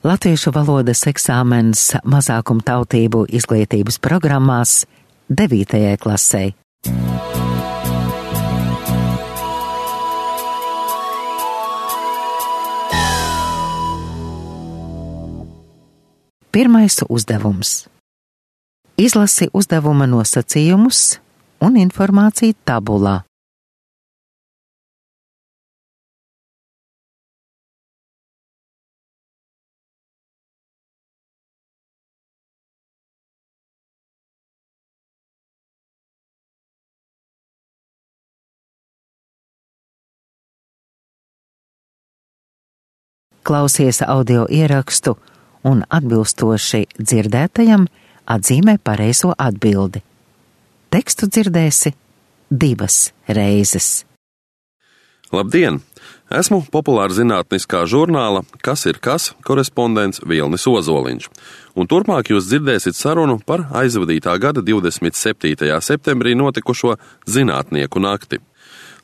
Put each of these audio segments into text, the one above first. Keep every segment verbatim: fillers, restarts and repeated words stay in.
latviešu valodas eksāmens mazākumtautību izglītības programmās devītajai klasei. Pirmais uzdevums. Izlasi uzdevuma nosacījumus un informāciju tabulā. Klausies audio ierakstu un atbilstoši dzirdētajam atzīmē pareizo atbildi. Tekstu dzirdēsi divas reizes. Labdien! Esmu populāra zinātniskā žurnāla Kas ir kas korespondents Vilnis Ozoliņš, un turpmāk jūs dzirdēsiet sarunu par aizvadītā gada divdesmit septītajā septembrī notikušo Zinātnieku nakti.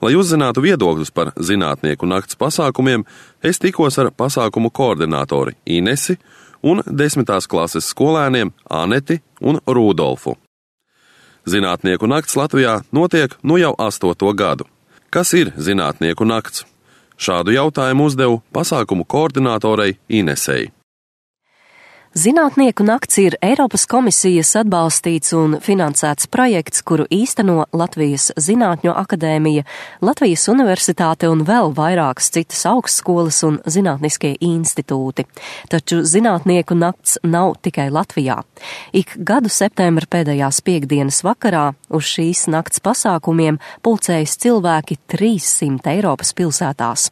Lai uzzinātu viedokļus par Zinātnieku nakts pasākumiem, es tikos ar pasākumu koordinātori Inesi un desmitās klases skolēniem Aneti un Rudolfu. Zinātnieku nakts Latvijā notiek nu jau astoto gadu. Kas ir Zinātnieku nakts? Šādu jautājumu uzdevu pasākumu koordinātorei Inesei. Zinātnieku nakts ir Eiropas komisijas atbalstīts un finansēts projekts, kuru īsteno Latvijas Zinātņu akadēmija, Latvijas universitāte un vēl vairākas citas augstskolas un zinātniskie institūti. Taču Zinātnieku nakts nav tikai Latvijā. Ik gadu septembra pēdējās piektdienas vakarā uz šīs nakts pasākumiem pulcējas cilvēki trīssimt Eiropas pilsētās.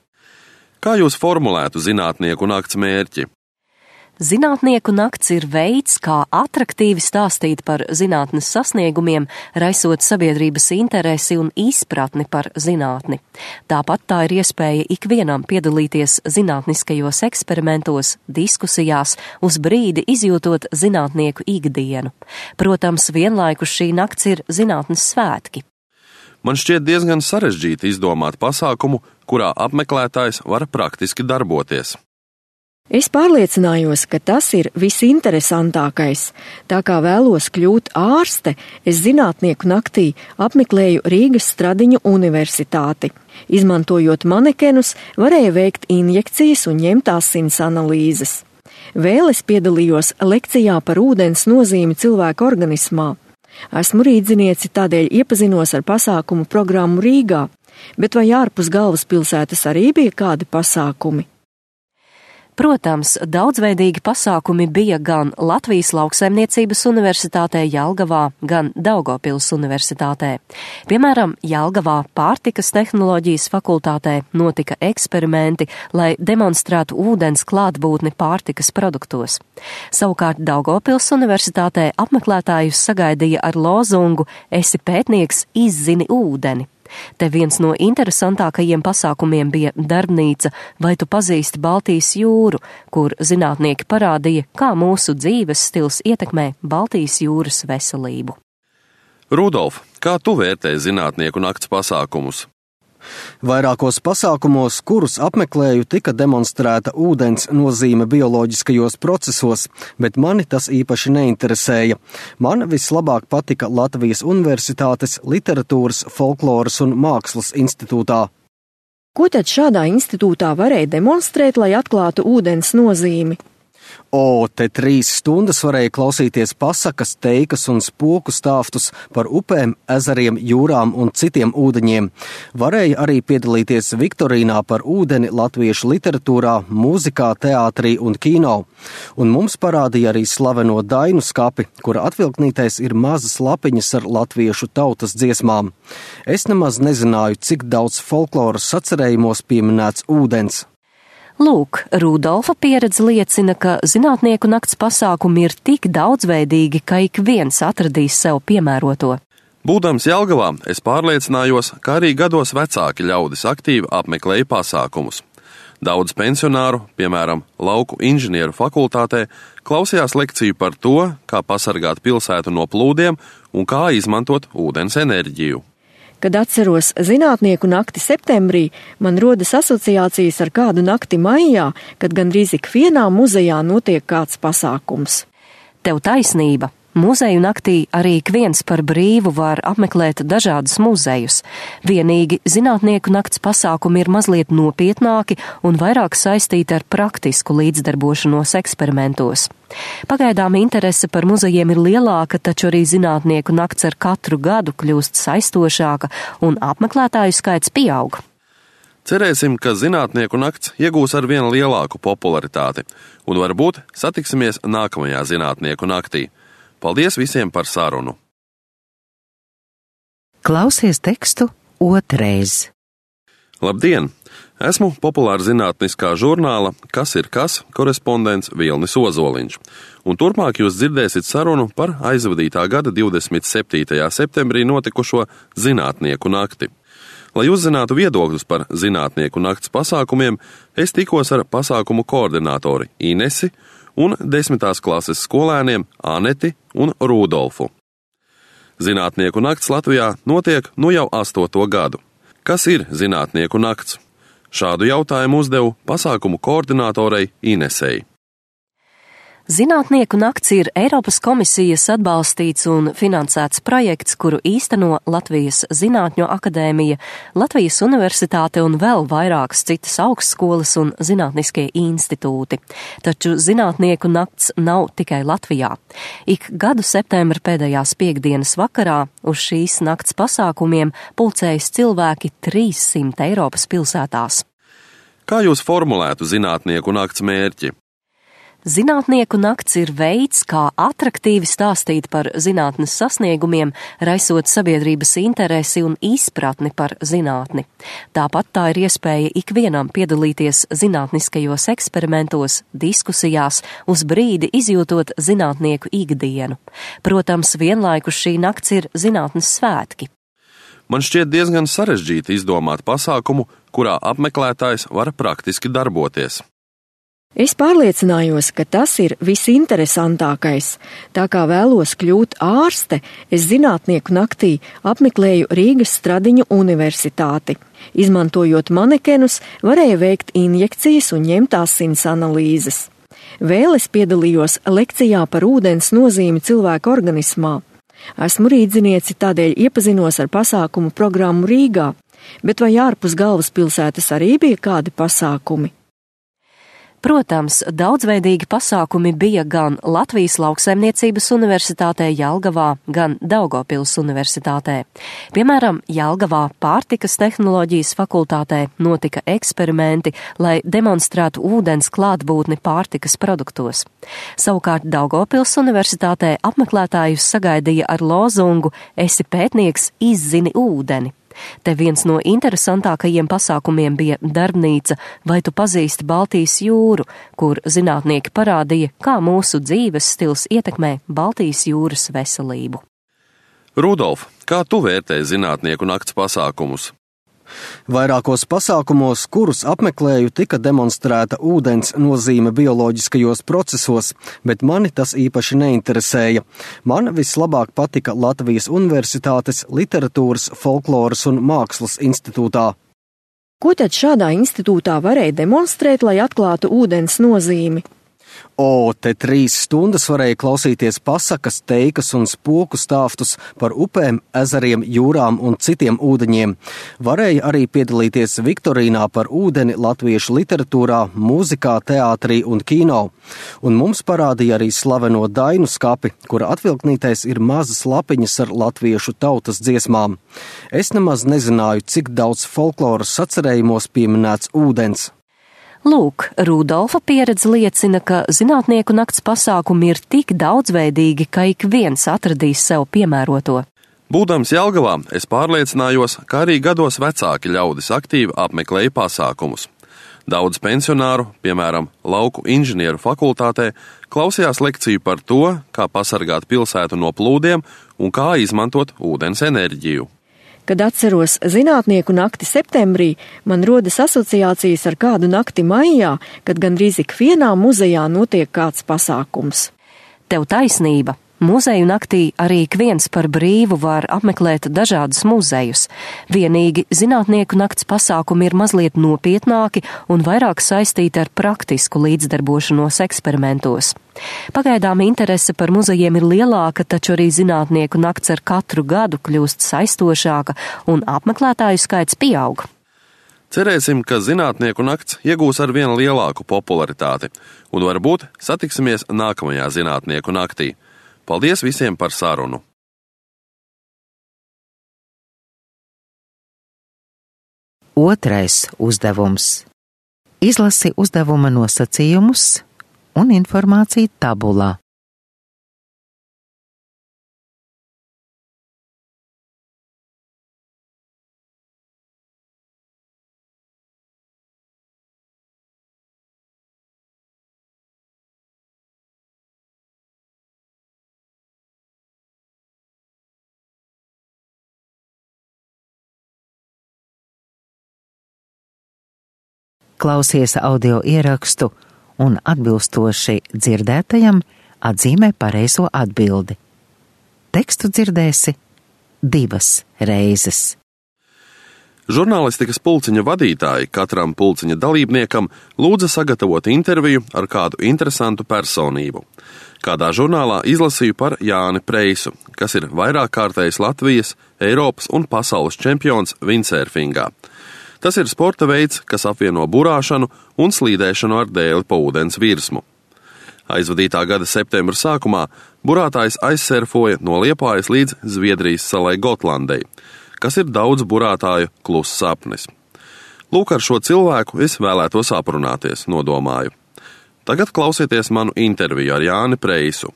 Kā jūs formulētu Zinātnieku nakts mērķi? Zinātnieku nakts ir veids, kā atraktīvi stāstīt par zinātnes sasniegumiem, raisot sabiedrības interesi un izpratni par zinātni. Tāpat tā ir iespēja ikvienam piedalīties zinātniskajos eksperimentos, diskusijās, uz brīdi izjūtot zinātnieku ikdienu. Protams, vienlaikus šī nakts ir zinātnes svētki. Man šķiet diezgan sarežģīti izdomāt pasākumu, kurā apmeklētājs var praktiski darboties. Es pārliecinājos, ka tas ir visinteresantākais. Tā kā vēlos kļūt ārste, es Zinātnieku naktī apmeklēju Rīgas Stradiņu universitāti. Izmantojot manekenus, varēja veikt injekcijas un ņemt asins analīzes. Vēl es piedalījos lekcijā par ūdens nozīmi cilvēka organismā. Esmu rīdzinieci, tādēļ iepazinos ar pasākumu programmu Rīgā, bet vai ārpus galvaspilsētas arī bija kādi pasākumi? Protams, daudzveidīgi pasākumi bija gan Latvijas Lauksaimniecības universitātē Jelgavā, gan Daugavpils universitātē. Piemēram, Jelgavā pārtikas tehnoloģijas fakultātē notika eksperimenti, lai demonstrētu ūdens klātbūtni pārtikas produktos. Savukārt Daugavpils universitātē apmeklētājus sagaidīja ar lozungu "Esi pētnieks, izzini ūdeni". Te viens no interesantākajiem pasākumiem bija darbnīca "Vai tu pazīsti Baltijas jūru", kur zinātnieki parādīja, kā mūsu dzīves stils ietekmē Baltijas jūras veselību. Rudolf, kā tu vērtē Zinātnieku nakts pasākumus? Vairākos pasākumos, kurus apmeklēju, tika demonstrēta ūdens nozīme bioloģiskajos procesos, bet mani tas īpaši neinteresēja. Man vislabāk patika Latvijas Universitātes Literatūras, folkloras un mākslas institūtā. Ko tad šādā institūtā varēja demonstrēt, lai atklātu ūdens nozīmi? O, te trīs stundas varēja klausīties pasakas, teikas un spoku stāstus par upēm, ezeriem, jūrām un citiem ūdeņiem. Varēja arī piedalīties viktorīnā par ūdeni latviešu literatūrā, mūzikā, teātrī un kino. Un mums parādīja arī slaveno dainu skapi, kura atvilknītais ir mazas lapiņas ar latviešu tautas dziesmām. Es nemaz nezināju, cik daudz folkloras sacerējumos pieminēts ūdens. Lūk, Rudolfa pieredze liecina, ka Zinātnieku nakts pasākumi ir tik daudzveidīgi, ka ik viens atradīs sev piemēroto. Būdams Jelgavā, es pārliecinājos, ka arī gados vecāki ļaudis aktīvi apmeklēja pasākumus. Daudz pensionāru, piemēram, lauku inženieru fakultātē, klausījās lekciju par to, kā pasargāt pilsētu no plūdiem un kā izmantot ūdens enerģiju. Kad atceros zinātnieku nakti septembrī, man rodas asociācijas ar kādu nakti maijā, kad gandrīz ikvienā muzejā notiek kāds pasākums. Tev taisnība. Muzeju naktī arī ik viens par brīvu var apmeklēt dažādus muzejus. Vienīgi zinātnieku nakts pasākumi ir mazliet nopietnāki un vairāk saistīti ar praktisku līdzdarbošanos eksperimentos. Pagaidām interese par muzejiem ir lielāka, taču arī zinātnieku nakts ar katru gadu kļūst saistošāka un apmeklētāju skaits pieaug. Cerēsim, ka zinātnieku nakts iegūs ar vien lielāku popularitāti un varbūt satiksimies nākamajā zinātnieku naktī. Paldies visiem par sarunu! Klausies tekstu otrais. Labdien! Esmu populāra zinātniskā žurnāla Kas ir kas korespondents Vilnis Ozoliņš, un turpmāk jūs dzirdēsiet sarunu par aizvadītā gada divdesmit septītajā septembrī notikušo zinātnieku nakti. Lai uzzinātu viedokļus par zinātnieku nakts pasākumiem, es tikos ar pasākumu koordinātori Inesi un desmitās klases skolēniem Aneti un Rudolfu. Zinātnieku nakts Latvijā notiek nu jau astoto gadu. Kas ir zinātnieku nakts? Šādu jautājumu uzdevu pasākumu koordinātorei Inesei. Zinātnieku nakts ir Eiropas komisijas atbalstīts un finansēts projekts, kuru īsteno Latvijas Zinātņu akadēmija, Latvijas universitāte un vēl vairākas citas augstskolas un zinātniskie institūti. Taču zinātnieku nakts nav tikai Latvijā. Ik gadu septembra pēdējās piekdienas vakarā uz šīs nakts pasākumiem pulcējas cilvēki trīssimt Eiropas pilsētās. Kā jūs formulētu zinātnieku nakts mērķi? Zinātnieku nakts ir veids, kā atraktīvi stāstīt par zinātnes sasniegumiem, raisot sabiedrības interesi un izpratni par zinātni. Tāpat tā ir iespēja ikvienam piedalīties zinātniskajos eksperimentos, diskusijās, uz brīdi izjūtot zinātnieku ikdienu. Protams, vienlaikus šī nakts ir zinātnes svētki. Man šķiet diezgan sarežģīti izdomāt pasākumu, kurā apmeklētājs var praktiski darboties. Es pārliecinājos, ka tas ir visinteresantākais. Tā kā vēlos kļūt ārste, es zinātnieku naktī apmeklēju Rīgas Stradiņu universitāti. Izmantojot manekenus, varēja veikt injekcijas un ņemt asins analīzes. Vēl es piedalījos lekcijā par ūdens nozīmi cilvēka organismā. Esmu rīdzinieci, tādēļ iepazinos ar pasākumu programmu Rīgā, bet vai ārpus galvaspilsētas arī bija kādi pasākumi? Protams, daudzveidīgi pasākumi bija gan Latvijas Lauksaimniecības universitātē Jelgavā, gan Daugavpils universitātē. Piemēram, Jelgavā pārtikas tehnoloģijas fakultātē notika eksperimenti, lai demonstrētu ūdens klātbūtni pārtikas produktos. Savukārt Daugavpils universitātē apmeklētājus sagaidīja ar lozungu "Esi pētnieks, izzini ūdeni". Te viens no interesantākajiem pasākumiem bija darbnīca Vai tu pazīsti Baltijas jūru, kur zinātnieki parādīja, kā mūsu dzīves stils ietekmē Baltijas jūras veselību. Rudolf, kā tu vērtē zinātnieku nakts pasākumus? Vairākos pasākumos, kurus apmeklēju, tika demonstrēta ūdens nozīme bioloģiskajos procesos, bet mani tas īpaši neinteresēja. Man vislabāk patika Latvijas Universitātes Literatūras, folkloras un mākslas institūtā. Ko tad šādā institūtā varēja demonstrēt, lai atklātu ūdens nozīmi? O, te trīs stundas varēja klausīties pasakas, teikas un spoku stāstus par upēm, ezeriem, jūrām un citiem ūdeņiem. Varēja arī piedalīties viktorīnā par ūdeni latviešu literatūrā, mūzikā, teātrī un kino. Un mums parādīja arī slaveno dainu skapi, kura atvilknītais ir mazas lapiņas ar latviešu tautas dziesmām. Es nemaz nezināju, cik daudz folkloras sacerējumos pieminēts ūdens. Lūk, Rudolfa pieredze liecina, ka zinātnieku nakts pasākumi ir tik daudzveidīgi, ka ik viens atradīs sev piemēroto. Būdams Jelgavā, es pārliecinājos, ka arī gados vecāki ļaudis aktīvi apmeklēja pasākumus. Daudz pensionāru, piemēram, lauku inženieru fakultātē, klausījās lekciju par to, kā pasargāt pilsētu no plūdiem un kā izmantot ūdens enerģiju. Kad atceros zinātnieku nakti septembrī, man rodas asociācijas ar kādu nakti maijā, kad gandrīz ikvienā muzejā notiek kāds pasākums. Tev taisnība. Muzeju naktī arī ik viens par brīvu var apmeklēt dažādus muzejus. Vienīgi zinātnieku nakts pasākumi ir mazliet nopietnāki un vairāk saistīti ar praktisku līdzdarbošanos eksperimentos. Pagaidām interese par muzejiem ir lielāka, taču arī zinātnieku nakts ar katru gadu kļūst saistošāka un apmeklētāju skaits pieaug. Cerēsim, ka zinātnieku nakts iegūs ar vien lielāku popularitāti un varbūt satiksimies nākamajā zinātnieku naktī. Paldies visiem par sarunu! Otrais uzdevums. Izlasi uzdevuma nosacījumus un informāciju tabulā. Klausies audio ierakstu un atbilstoši dzirdētajam atzīmē pareizo atbildi. Tekstu dzirdēsi divas reizes. Žurnālistikas pulciņa vadītāji katram pulciņa dalībniekam lūdza sagatavot interviju ar kādu interesantu personību. Kādā žurnālā izlasīju par Jāni Preisu, kas ir vairāk kārtējs Latvijas, Eiropas un pasaules čempions windsurfingā. Tas ir sporta veids, kas apvieno burāšanu un slīdēšanu ar dēli pa ūdens virsmu. Aizvadītā gada septembra sākumā burātājs aizsurfoja no Liepājas līdz Zviedrijas salai Gotlandei, kas ir daudz burātāju kluss sapnis. Lūk, ar šo cilvēku es vēlētos aprunāties, nodomāju. Tagad klausieties manu interviju ar Jāni Preisu.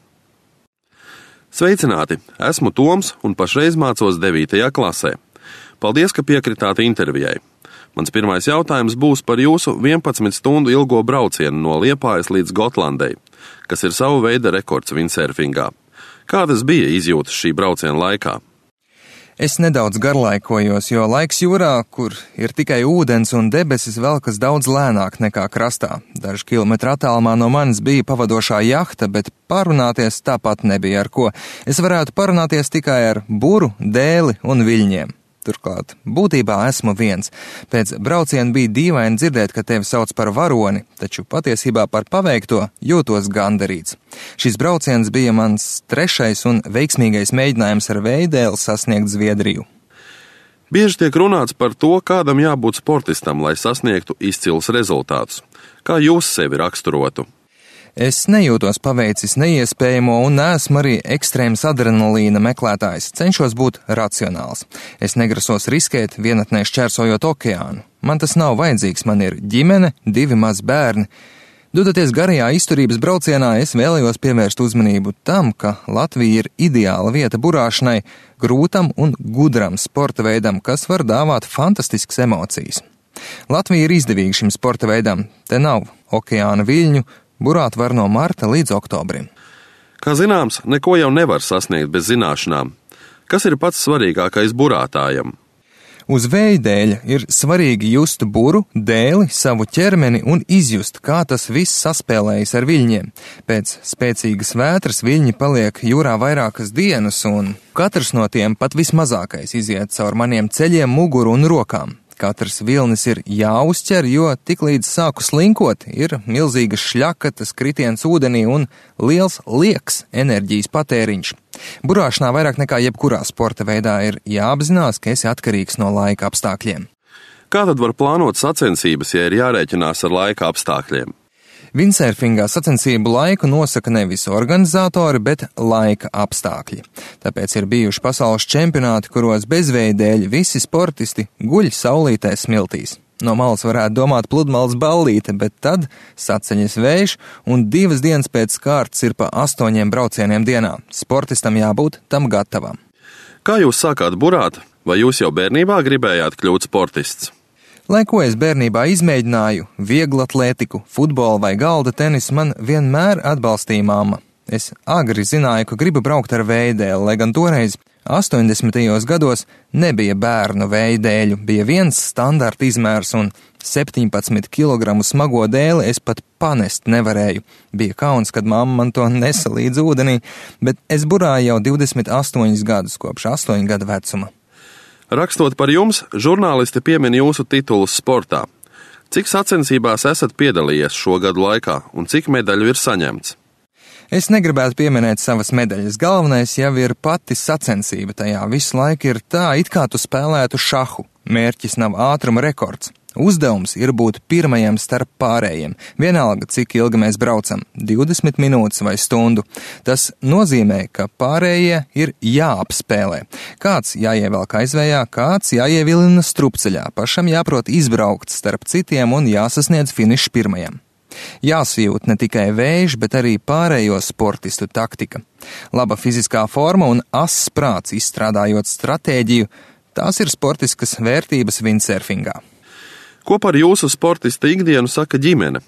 Sveicināti, esmu Toms un pašreiz mācos devītajā klasē. Paldies, ka piekritāt intervijai. Mans pirmais jautājums būs par jūsu vienpadsmit stundu ilgo braucienu no Liepājas līdz Gotlandei, kas ir savu veidu rekords windsurfingā. Kādas bija izjūtas šī brauciena laikā? Es nedaudz garlaikojos, jo laiks jūrā, kur ir tikai ūdens un debesis, velkas daudz lēnāk nekā krastā. Dažu kilometru attālumā no manis bija pavadošā jahta, bet parunāties tāpat nebija ar ko. Es varētu parunāties tikai ar buru, dēli un viļņiem. Turklāt, būtībā esmu viens. Pēc brauciena bija dīvaini dzirdēt, ka tevi sauc par varoni, taču patiesībā par paveikto jūtos gandarīts. Šis brauciens bija mans trešais un veiksmīgais mēģinājums ar veidēli sasniegt Zviedriju. Bieži tiek runāts par to, kādam jābūt sportistam, lai sasniegtu izcilus rezultātus. Kā jūs sevi raksturotu? Es nejūtos paveicis neiespējamo un neesmu arī ekstrēms adrenalīna meklētājs. Cenšos būt racionāls. Es negrasos riskēt vienatnē šķērsojot okeānu. Man tas nav vajadzīgs, man ir ģimene, divi mazi bērni. Dodoties garajā izturības braucienā, es vēlējos pievērst uzmanību tam, ka Latvija ir ideāla vieta burāšanai, grūtam un gudram sporta veidam, kas var dāvāt fantastiskas emocijas. Latvija ir izdevīga šim sporta veidam. Te nav okeāna viļņu, burāt var no marta līdz oktobrim. Kā zināms, neko jau nevar sasniegt bez zināšanām. Kas ir pats svarīgākais burātājam? Uz vēja dēļa ir svarīgi just buru, dēli, savu ķermeni un izjust, kā tas viss saspēlējas ar viļņiem. Pēc spēcīgas vētras viļņi paliek jūrā vairākas dienas, un katrs no tiem, pat vismazākais, iziet caur maniem ceļiem, muguru un rokām. Katrs vilnis ir jāuzķer, jo tiklīdz sāku slinkot, ir milzīgas šļakatas, kritiens ūdenī un liels liekas enerģijas patēriņš. Burāšanā vairāk nekā jebkurā sporta veidā ir jāapzinās, ka esi atkarīgs no laika apstākļiem. Kā tad var plānot sacensības, ja ir jārēķinās ar laika apstākļiem? Windsurfingā sacensību laiku nosaka nevis organizatori, bet laika apstākļi. Tāpēc ir bijuši pasaules čempionāti, kuros bezvēja dēļ visi sportisti guļ saulītē smiltīs. No malas varētu domāt pludmales ballīte, bet tad saceņas vējš un divas dienas pēc kārtas ir pa astoņiem braucieniem dienā. Sportistam jābūt tam gatavam. Kā jūs sākāt burāt? Vai jūs jau bērnībā gribējāt kļūt sportists? Lai ko es bērnībā izmēģināju, vieglatlētiku, futbolu vai galda tenisu, man vienmēr atbalstīja mamma. Es agri zināju, ka gribu braukt ar veidēli, lai gan toreiz astoņdesmitajos gados nebija bērnu vēja dēļu, bija viens standarta izmērs un septiņpadsmit kilogramu smago dēli es pat panest nevarēju. Bija kauns, kad mamma man to nesa līdz ūdenī, bet es burāju jau divdesmit astoņus gadus kopš astoņu gadu vecuma. Rakstot par jums, žurnālisti piemin jūsu titulus sportā. Cik sacensībās esat piedalījies šo gadu laikā un cik medaļu ir saņemts? Es negribētu pieminēt savas medaļas. Galvenais jau ir pati sacensība tajā. Visu laiku ir tā, it kā tu spēlētu šahu. Mērķis nav ātruma rekords. Uzdevums ir būt pirmajam starp pārējiem. Vienalga, cik ilgi mēs braucam – divdesmit minūtes vai stundu. Tas nozīmē, ka pārējie ir jāapspēlē. Kāds jāievelk aizvējā, kāds jāievilina strupceļā. Pašam jāprot izbraukt starp citiem un jāsasniedz finišs pirmajam. Jāsajūt ne tikai vējš, bet arī pārējo sportistu taktika. Laba fiziskā forma un ass prāts izstrādājot stratēģiju – tās ir sportiskas vērtības windsurfingā. Ko par jūsu sportista ikdienu saka ģimene?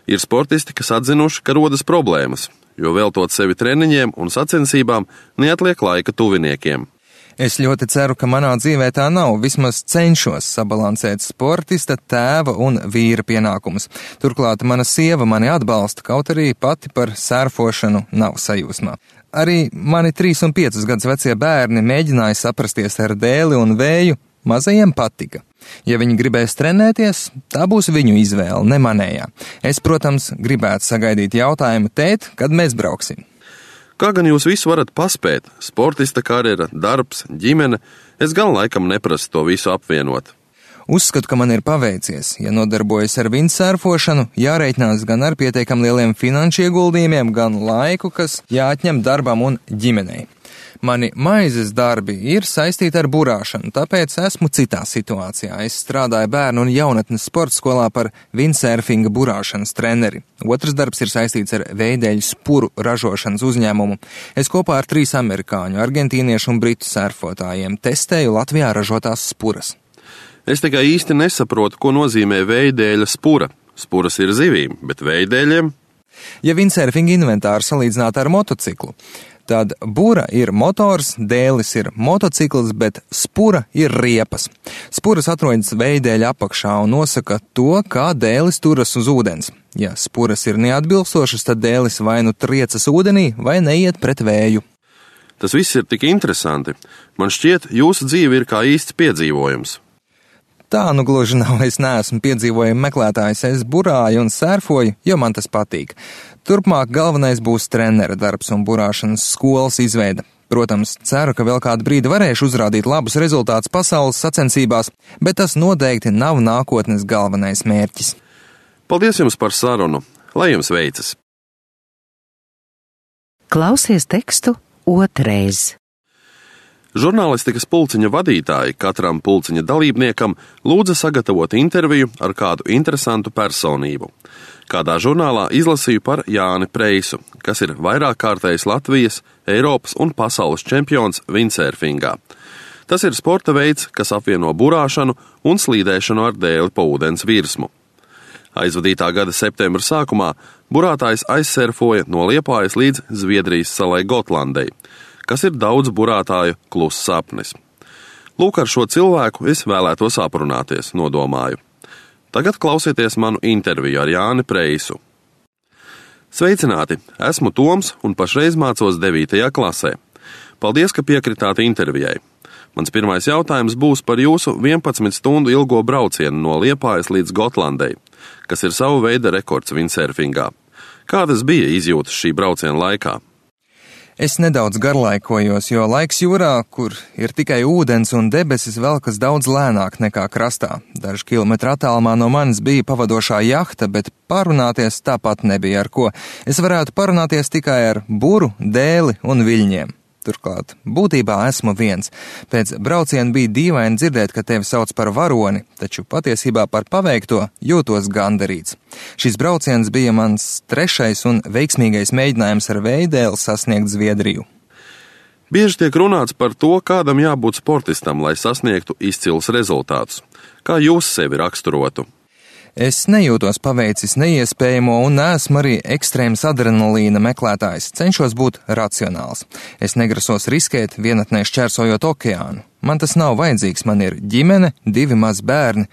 Ir sportisti, kas atzinuši, ka rodas problēmas, jo veltot sevi treniņiem un sacensībām neatliek laika tuviniekiem. Es ļoti ceru, ka manā dzīvē tā nav, vismaz cenšos sabalansēt sportista, tēva un vīra pienākumus. Turklāt mana sieva mani atbalsta, kaut arī pati par sērfošanu nav sajūsmā. Arī mani trīs un piecus gadus vecie bērni mēģināja saprasties ar dēli un vēju, mazajiem patika. Ja viņi gribēs trenēties, tā būs viņu izvēle, ne manējā. Es, protams, gribētu sagaidīt jautājumu, tēt, kad mēs brauksim. Kā gan jūs visu varat paspēt? Sportista karjera, darbs, ģimene, es gan laikam neprasu to visu apvienot. Uzskatu, ka man ir paveicies. Ja nodarbojas ar windsurfošanu, jāreikinās gan ar pietiekam lieliem finanšu ieguldījumiem, gan laiku, kas jāatņem darbam un ģimenei. Mani maizes darbi ir saistīti ar burāšanu, tāpēc esmu citā situācijā. Es strādāju bērnu un jaunatnes sporta skolā par windsurfinga burāšanas treneri. Otrs darbs ir saistīts ar veideļu spuru ražošanas uzņēmumu. Es kopā ar trīs amerikāņu, argentīniešu un britu surfotājiem testēju Latvijā ražotās spuras. Es tikai īsti nesaprotu, ko nozīmē veidēļa spura. Spuras ir zivīm, bet veidēļiem? Ja windsurfinga inventāru salīdzināt ar motociklu, tad bura ir motors, dēlis ir motocikls, bet spura ir riepas. Spuras atrodas veidēļa apakšā un nosaka to, kā dēlis turas uz ūdens. Ja spuras ir neatbilstošas, tad dēlis vai nu triecas ūdenī, vai neiet pret vēju. Tas viss ir tik interesanti. Man šķiet, jūsu dzīve ir kā īsts piedzīvojums. Tā nu gluži nav, es neesmu piedzīvojumu meklētājs, es burāju un sērfoju, jo man tas patīk. Turpmāk galvenais būs trenera darbs un burāšanas skolas izveida. Protams, ceru, ka vēl kādu brīdi varēšu uzrādīt labus rezultātus pasaules sacensībās, bet tas noteikti nav nākotnes galvenais mērķis. Paldies jums par sarunu, lai jums veicas! Klausies tekstu otrais. Žurnālistikas pulciņa vadītāji katram pulciņa dalībniekam lūdza sagatavot interviju ar kādu interesantu personību. Kādā žurnālā izlasīju par Jāni Preisu, kas ir vairāk kārtējs Latvijas, Eiropas un pasaules čempions windsurfingā. Tas ir sporta veids, kas apvieno burāšanu un slīdēšanu ar dēli pa ūdens virsmu. Aizvadītā gada septembra sākumā burātājs aizsurfoja no Liepājas līdz Zviedrijas salai Gotlandei, kas ir daudz burātāju kluss sapnis. Lūk, ar šo cilvēku es vēlētos aprunāties, nodomāju. Tagad klausieties manu interviju ar Jāni Preisu. Sveicināti, esmu Toms un pašreiz mācos devītajā klasē. Paldies, ka piekritāt intervijai. Mans pirmais jautājums būs par jūsu vienpadsmit stundu ilgo braucienu no Liepājas līdz Gotlandei, kas ir savu veidu rekords windsurfingā. Kādas bija izjūtas šī brauciena laikā? Es nedaudz garlaikojos, jo laiks jūrā, kur ir tikai ūdens un debesis, velkas daudz lēnāk nekā krastā. Dažu kilometru attālumā no manis bija pavadošā jahta, bet parunāties tāpat nebija ar ko. Es varētu parunāties tikai ar buru, dēli un viļņiem. Turklāt, būtībā esmu viens. Pēc brauciena bija dīvaini dzirdēt, ka tevi sauc par varoni, taču patiesībā par paveikto jūtos gandarīts. Šis brauciens bija mans trešais un veiksmīgais mēģinājums ar veidēli sasniegt Zviedriju. Bieži tiek runāts par to, kādam jābūt sportistam, lai sasniegtu izcilus rezultātus. Kā jūs sevi raksturotu? Es nejūtos paveicis neiespējamo un neesmu arī ekstrēms adrenalīna meklētājs, cenšos būt racionāls. Es negrasos riskēt, vienatnē šķērsojot okeānu. Man tas nav vajadzīgs, man ir ģimene, divi mazi bērni.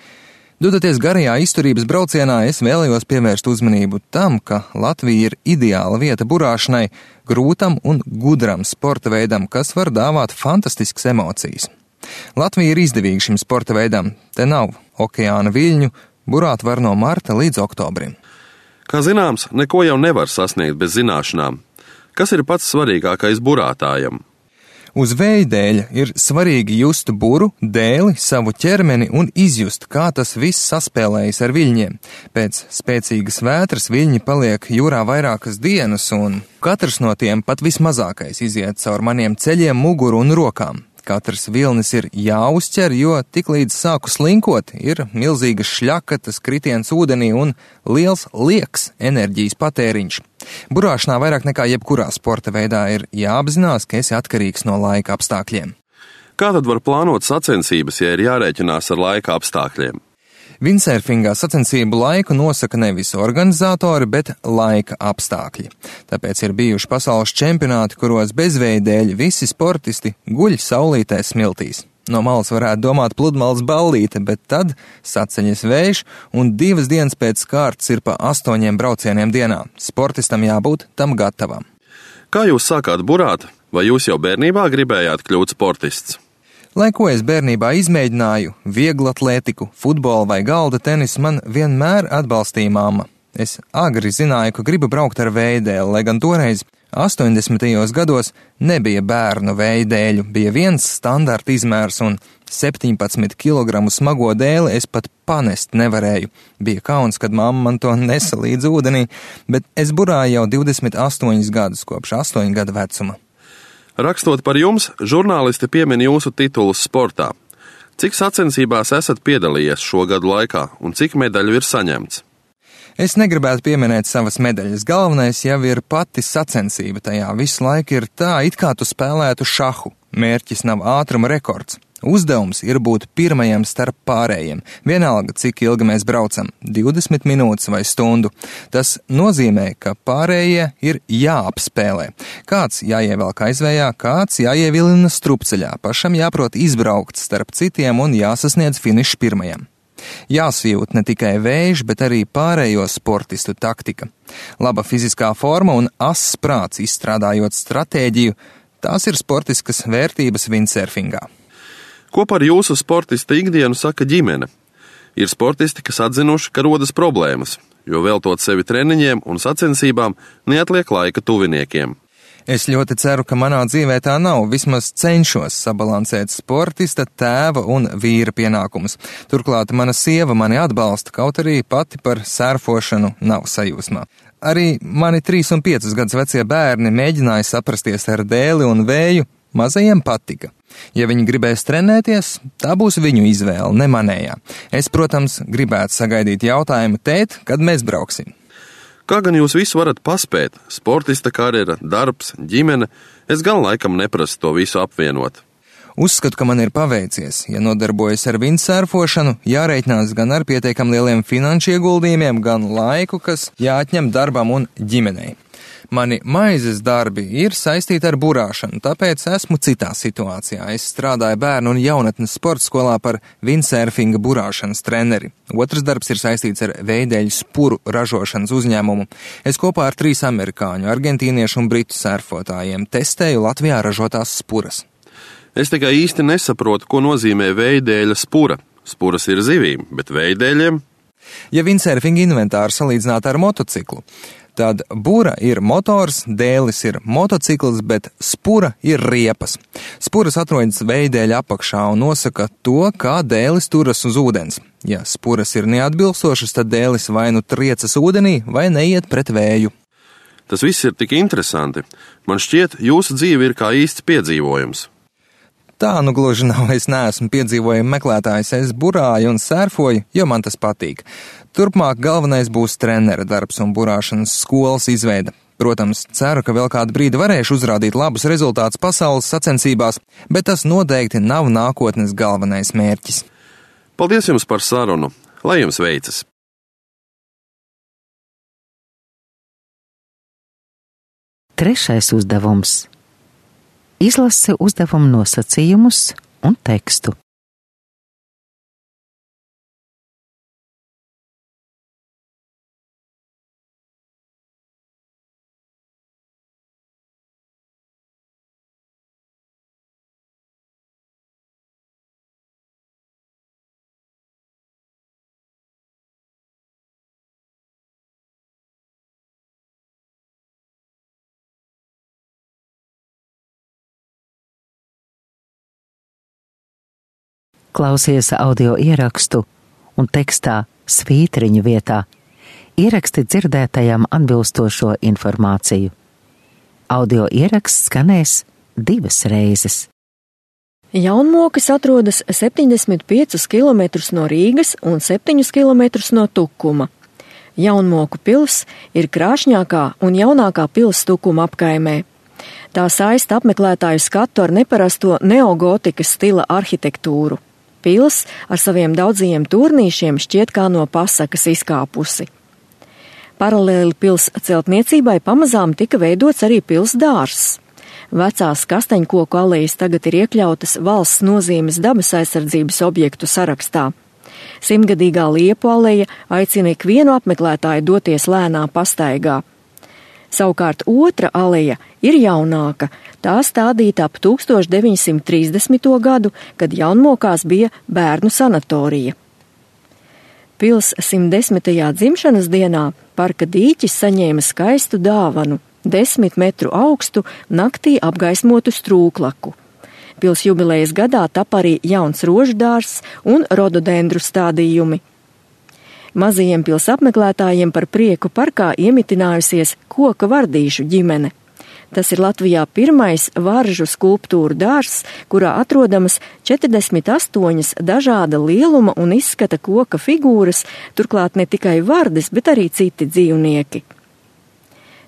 Dodoties garajā izturības braucienā, es vēlējos pievērst uzmanību tam, ka Latvija ir ideāla vieta burāšanai, grūtam un gudram sporta veidam, kas var dāvāt fantastiskas emocijas. Latvija ir izdevīga šim sporta veidam, te nav okeāna viļņu, burāt var no marta līdz oktobrim. Kā zināms, neko jau nevar sasniegt bez zināšanām. Kas ir pats svarīgākais burātājam? Uz vēja dēļa ir svarīgi just buru, dēli, savu ķermeni un izjust, kā tas viss saspēlējas ar viļņiem. Pēc spēcīgas vētras viļņi paliek jūrā vairākas dienas, un katrs no tiem, pat vismazākais, iziet caur maniem ceļiem, muguru un rokām. Katrs vilnis ir jāuzķer, jo tiklīdz sāku slinkot, ir milzīgas šļakatas, kritiens ūdenī un liels liekas enerģijas patēriņš. Burāšanā vairāk nekā jebkurā sporta veidā ir jāapzinās, ka esi atkarīgs no laika apstākļiem. Kā tad var plānot sacensības, ja ir jārēķinās ar laika apstākļiem? Windsurfingā sacensību laiku nosaka nevis organizatori, bet laika apstākļi. Tāpēc ir bijuši pasaules čempionāti, kuros bezvēja dēļ visi sportisti guļ saulītē smiltīs. No malas varētu domāt pludmales ballīte, bet tad saceļas vējš un divas dienas pēc kārtas ir pa astoņiem braucieniem dienā. Sportistam jābūt tam gatavam. Kā jūs sākāt burāt, vai jūs jau bērnībā gribējāt kļūt sportists? Lai ko es bērnībā izmēģināju, vieglatlētiku, futbolu vai galda tenisu, man vienmēr atbalstīja mamma. Es agri zināju, ka gribu braukt ar vējdēli, lai gan toreiz astoņdesmitajos gados nebija bērnu vējdēļu, bija viens standarta izmērs un septiņpadsmit kilogramu smago dēli es pat panest nevarēju. Bija kauns, kad mamma man to nesa līdz ūdenī, bet es burāju jau divdesmit astoņus gadus kopš astoņu gadu vecuma. Rakstot par jums, žurnālisti piemin jūsu titulus sportā. Cik sacensībās esat piedalījies šo gadu laikā un cik medaļu ir saņemts? Es negribētu pieminēt savas medaļas. Galvenais jau ir pati sacensība tajā. Visu laiku ir tā, it kā tu spēlētu šahu. Mērķis nav ātruma rekords. Uzdevums ir būt pirmajam starp pārējiem. Vienalga, cik ilgi mēs braucam – divdesmit minūtes vai stundu. Tas nozīmē, ka pārējie ir jāapspēlē. Kāds jāievelk aizvējā, kāds jāievilina strupceļā. Pašam jāprot izbraukt starp citiem un jāsasniedz finišs pirmajam. Jāsajūt ne tikai vējš, bet arī pārējo sportistu taktika. Laba fiziskā forma un ass prāts izstrādājot stratēģiju – tās ir sportiskas vērtības windsurfingā. Ko par jūsu sportista ikdienu saka ģimene? Ir sportisti, kas atzinuši, ka rodas problēmas, jo veltot sevi treniņiem un sacensībām neatliek laika tuviniekiem. Es ļoti ceru, ka manā dzīvē tā nav, vismaz cenšos sabalansēt sportista, tēva un vīra pienākumus. Turklāt mana sieva mani atbalsta, kaut arī pati par sērfošanu nav sajūsmā. Arī mani trīs un piecus gadus vecie bērni mēģināja saprasties ar dēli un vēju, mazajiem patika. Ja viņi gribēs trenēties, tā būs viņu izvēle, ne manējā. Es, protams, gribētu sagaidīt jautājumu, tēt, kad mēs brauksim. Kā gan jūs visu varat paspēt? Sportista karjera, darbs, ģimene, es gan laikam neprasu to visu apvienot. Uzskatu, ka man ir paveicies. Ja nodarbojas ar windsurfošanu, jārēķinās gan ar pietiekam lieliem finanšu ieguldījumiem, gan laiku, kas jāatņem darbam un ģimenei. Mani maizes darbi ir saistīti ar burāšanu, tāpēc esmu citā situācijā. Es strādāju bērnu un jaunatnes sporta skolā par windsurfinga burāšanas treneri. Otrs darbs ir saistīts ar veidēļu spuru ražošanas uzņēmumu. Es kopā ar trīs amerikāņu, argentīniešu un britu surfotājiem testēju Latvijā ražotās spuras. Es tikai īsti nesaprotu, ko nozīmē veidēļa spura. Spuras ir zivīm, bet veidēļiem? Ja windsurfinga inventāru salīdzināt ar motociklu, tad bura ir motors, dēlis ir motocikls, bet spura ir riepas. Spuras atrodas veidēļa apakšā un nosaka to, kā dēlis turas uz ūdens. Ja spuras ir neatbilstošas, tad dēlis vai nu triecas ūdenī, vai neiet pret vēju. Tas viss ir tik interesanti. Man šķiet, jūsu dzīve ir kā īsts piedzīvojums. Tā nu gluži nav, es neesmu piedzīvojumu meklētājs, es burāju un sērfoju, jo man tas patīk. Turpmāk galvenais būs trenera darbs un burāšanas skolas izveida. Protams, ceru, ka vēl kādu brīdi varēšu uzrādīt labus rezultātus pasaules sacensībās, bet tas noteikti nav nākotnes galvenais mērķis. Paldies jums par sarunu, lai jums veicas! Trešais uzdevums. Izlase uzdevumu nosacījumus un tekstu. Klausies audio ierakstu un tekstā svītriņu vietā ieraksti dzirdētajam atbilstošo informāciju. Audio ieraksts skanēs divas reizes. Jaunmokas atrodas septiņdesmit piecus kilometrus no Rīgas un septiņus kilometrus no Tukuma. Jaunmoku pils ir krāšņākā un jaunākā pils Tukuma apkaimē. Tā saista apmeklētāju skatu ar neparasto neogotikas stila arhitektūru. Pils ar saviem daudzajiem turnīšiem šķiet kā no pasakas izkāpusi. Paralēli pils celtniecībai pamazām tika veidots arī pils dārzs. Vecās kastaņkoku alejas tagad ir iekļautas valsts nozīmes dabas aizsardzības objektu sarakstā. Simtgadīgā liepu aleja aicina ikvienu apmeklētāju doties lēnā pastaigā. Savukārt otra aleja ir jaunāka, tā stādīta ap tūkstoš deviņsimt trīsdesmito gadu, kad Jaunmokās bija bērnu sanatorija. Pils simtdesmitajā dzimšanas dienā parka dīķis saņēma skaistu dāvanu – desmit metru augstu, naktī apgaismotu strūklaku. Pils jubilejas gadā tapa arī jauns roždārs un rododendru stādījumi. Mazajiem pils apmeklētājiem par prieku parkā iemitinājusies koka vardīšu ģimene. Tas ir Latvijā pirmais varžu skulptūru dārzs, kurā atrodamas četrdesmit astoņas dažāda lieluma un izskata koka figūras, turklāt ne tikai vardes, bet arī citi dzīvnieki.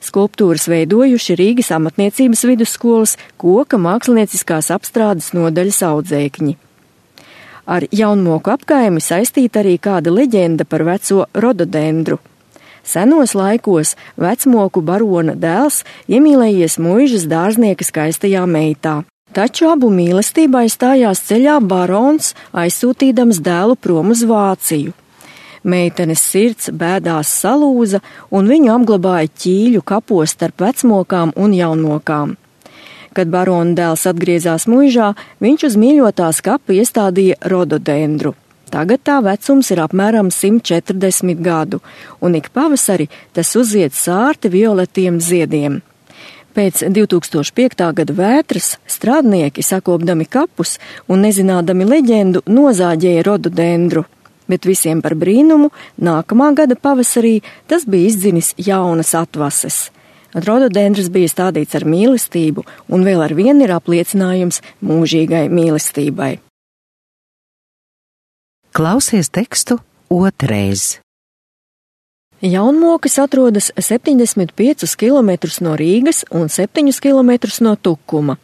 Skulptūras veidojuši Rīgas amatniecības vidusskolas koka mākslinieciskās apstrādes nodaļas audzēkņi. Ar Jaunmoku apkaimi saistīta arī kāda leģenda par veco rododendru. Senos laikos vecmoku barona dēls iemīlējies muižas dārznieka skaistajā meitā. Taču abu mīlestībai stājās ceļā barons, aizsūtīdams dēlu prom uz Vāciju. Meitenes sirds bēdās salūza un viņu apglabāja ķīļu kapos starp vecmokām un jaunmokām. Kad barona dēls atgriezās muižā, viņš uz mīļotās kapu iestādīja rododendru. Tagad tā vecums ir apmēram simt četrdesmit gadu, un ik pavasari tas uziet sārti violetiem ziediem. Pēc divtūkstoš piektā gada vētras strādnieki, sakopdami kapus un nezinādami leģendu, nozāģēja rododendru. Bet visiem par brīnumu, nākamā gada pavasarī tas bija izdzinis jaunas atvases. Rododendrs bija stādīts ar mīlestību un vēl ar vienu ir apliecinājums mūžīgai mīlestībai. Klausies tekstu otrais. Jaunmokas atrodas septiņdesmit piecus kilometrus no Rīgas un septiņus kilometrus no Tukuma.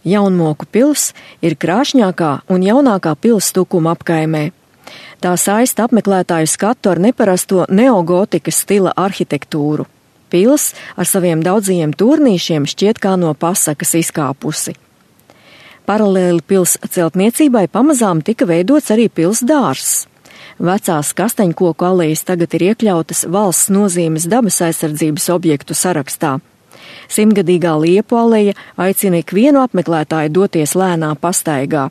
Jaunmoku pils ir krāšņākā un jaunākā pils Tukuma apkaimē. Tā saista apmeklētāju skatu ar neparasto neogotikas stila arhitektūru. Pils ar saviem daudzajiem turnīšiem šķiet kā no pasakas izkāpusi. Paralēli pils celtniecībai pamazām tika veidots arī pils dārzs. Vecās kastaņkoku alejas tagad ir iekļautas valsts nozīmes dabas aizsardzības objektu sarakstā. Simtgadīgā liepu aleja aicina ikvienu apmeklētāju doties lēnā pastaigā.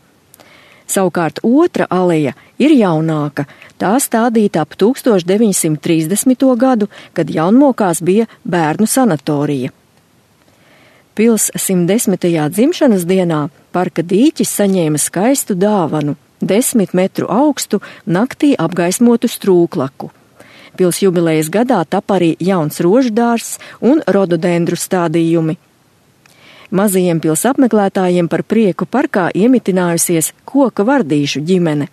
Savukārt otra aleja ir jaunāka, tā stādīta ap tūkstoš deviņsimt trīsdesmito gadu, kad Jaunmokās bija bērnu sanatorija. Pils simtdesmitajā dzimšanas dienā parka dīķis saņēma skaistu dāvanu – desmit metru augstu, naktī apgaismotu strūklaku. Pils jubilejas gadā tapa arī jauns roždārs un rododendru stādījumi. Mazajiem pils apmeklētājiem par prieku parkā iemitinājusies koka vardīšu ģimene.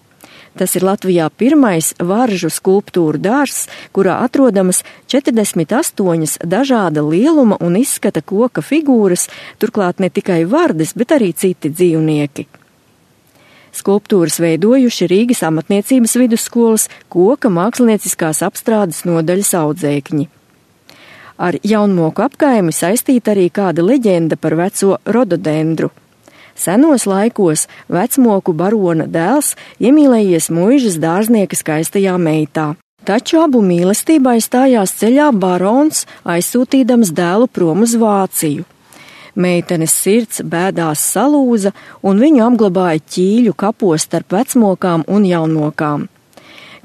Tas ir Latvijā pirmais varžu skulptūru dārzs, kurā atrodamas četrdesmit astoņas dažāda lieluma un izskata koka figūras, turklāt ne tikai vardes, bet arī citi dzīvnieki. Skulptūras veidojuši Rīgas amatniecības vidusskolas koka mākslinieciskās apstrādes nodaļas audzēkņi. Ar jaunmoku apkaimi saistīta arī kāda leģenda par veco rododendru. Senos laikos vecmoku barona dēls iemīlējies muižas dārznieka skaistajā meitā. Taču abu mīlestībai stājās ceļā barons, aizsūtīdams dēlu prom uz Vāciju. Meitenes sirds bēdās salūza, un viņu apglabāja ķīļu kapos starp vecmokām un jaunmokām.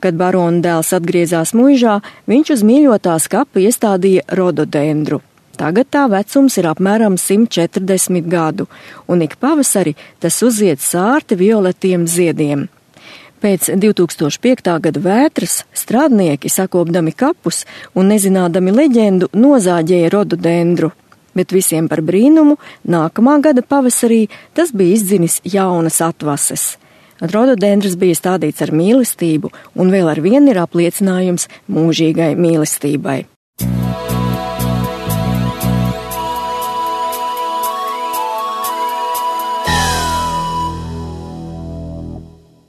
Kad barona dēls atgriezās muižā, viņš uz mīļotās kapu iestādīja rododendru. Tagad tā vecums ir apmēram simt četrdesmit gadu, un ik pavasari tas uzzied sārti violetiem ziediem. Pēc divtūkstoš piektā gada vētras strādnieki, sakopdami kapus un nezinādami leģendu, nozāģēja rododendru. Bet visiem par brīnumu, nākamā gada pavasarī tas bija izdzinis jaunas atvases. Rododendrs bija stādīts ar mīlestību, un vēl ar vienu ir apliecinājums mūžīgai mīlestībai.